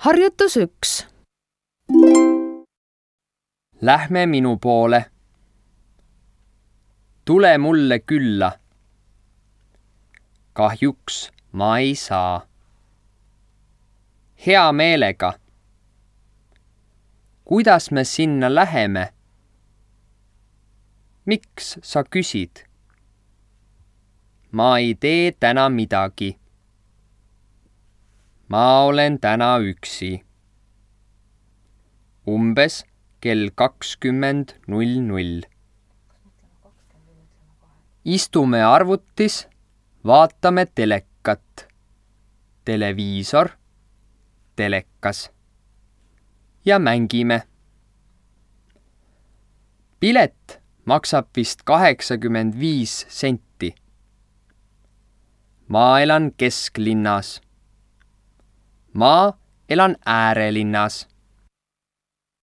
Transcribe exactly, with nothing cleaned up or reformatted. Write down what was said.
Harjutus üks. Lähme minu poole. Tule mulle külla. Kahjuks ma ei saa. Hea meelega. Kuidas me sinna läheme? Miks sa küsid? Ma ei tee täna midagi. Ma olen täna üksi. Umbes kell kakskümmend null null. Istume arvutis, vaatame telekat. Televiisor, telekas. Ja mängime. Pilet maksab vist kaheksakümmend viis senti. Ma elan kesklinnas. Ma elan äärelinnas.